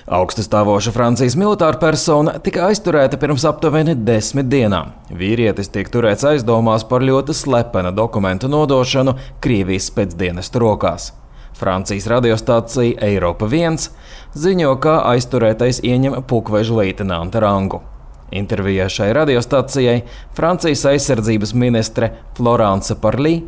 Augststāvoša Francijas militāra persona tika aizturēta pirms aptuveni 10 dienām. Vīrietis tiek turēts aizdomās par ļoti slepena dokumentu nodošanu Krievijas spēcdienestu rokās. Francijas radiostācija Eiropa 1 ziņo, ka aizturētais ieņem pulkveža leitenanta rangu. Intervijā šai radiostācijai Francijas aizsardzības ministre Florence Parly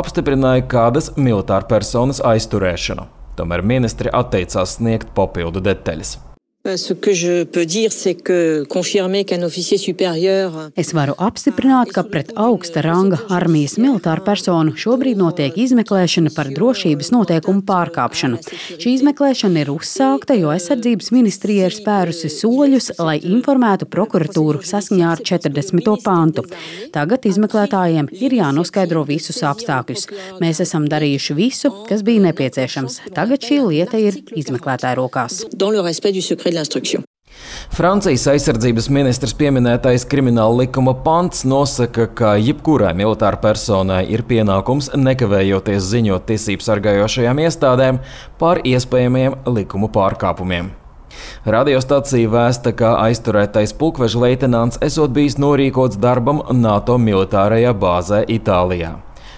apstiprināja kādas militāra personas aizturēšanu. Tomēr ministre atteicās sniegt papildu detaļas. Ce que je peux dire, c'est que confirmer qu'un officier supérieur. Es varu apstiprināt, ka pret augsta ranga armijas militāru personu šobrīd notiek izmeklēšana par drošības noteikumu pārkāpšanu. Šī izmeklēšana ir uzsākta, jo aizsardzības ministrija ir spērusi soļus, lai informētu prokuratūru saskaņā ar 40. pantu. Tagad izmeklētājiem ir jānoskaidro visus apstākļus. Mēs esam darījuši visu, kas bija nepieciešams. Tagad šī lieta ir izmeklētāja rokās. Francijas aizsardzības ministrs pieminētais krimināla likuma pants nosaka, ka jebkurai militāra personai ir pienākums nekavējoties ziņot tiesību sargājošajām iestādēm par iespējamiem likuma pārkāpumiem. Radiostacija vēsta, ka aizturētais pulkveža leitenants esot bijis norīkots darbam NATO militārajā bāzē Itālijā.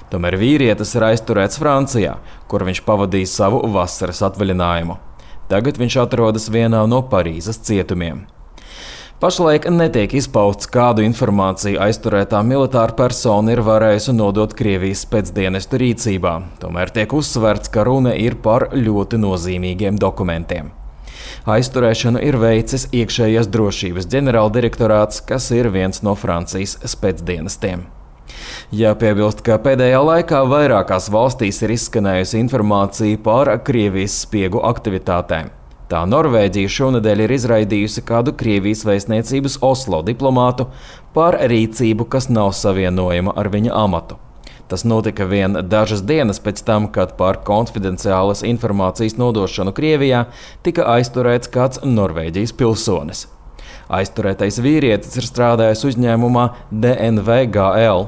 Tomēr vīrietis ir aizturēts Francijā, kur viņš pavadīja savu vasaras atvaļinājumu. Tagad viņš atrodas vienā no Parīzes cietumiem. Pašlaik netiek izpausts, kādu informāciju aizturētā militāra persona ir varējusi nodot Krievijas spēcdienestu rīcībā. Tomēr tiek uzsverts, ka runa ir par ļoti nozīmīgiem dokumentiem. Aizturēšanu ir veicis iekšējās drošības ģenerāldirektorāts, kas ir viens no Francijas spēcdienestiem. Jāpiebilst, ka pēdējā laikā vairākās valstīs ir izskanējusi informācija par Krievijas spiegu aktivitātēm. Tā Norvēģija šonedēļ ir izraidījusi kādu Krievijas vēstniecības Oslo diplomātu par rīcību, kas nav savienojama ar viņa amatu. Tas notika vien dažas dienas pēc tam, kad par konfidenciālas informācijas nodošanu Krievijā tika aizturēts kāds Norvēģijas pilsonis. Aizturētais vīrietis ir strādājis uzņēmumā DNVGL,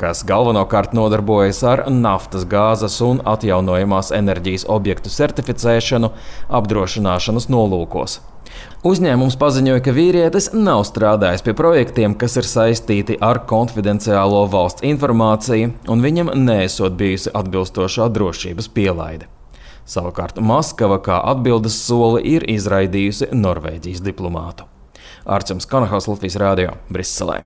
kas galvenokārt nodarbojas ar naftas, gāzes un atjaunojamās enerģijas objektu certificēšanu apdrošināšanas nolūkos. Uzņēmums paziņoja, ka vīrietis nav strādājis pie projektiem, kas ir saistīti ar konfidenciālo valsts informāciju, un viņam neesot bijusi atbilstošā drošības pielaide. Savukārt Maskava kā atbildes soli ir izraidījusi Norvēģijas diplomātu. Arčuns Kanahaus, Latvijas radio, Briselē.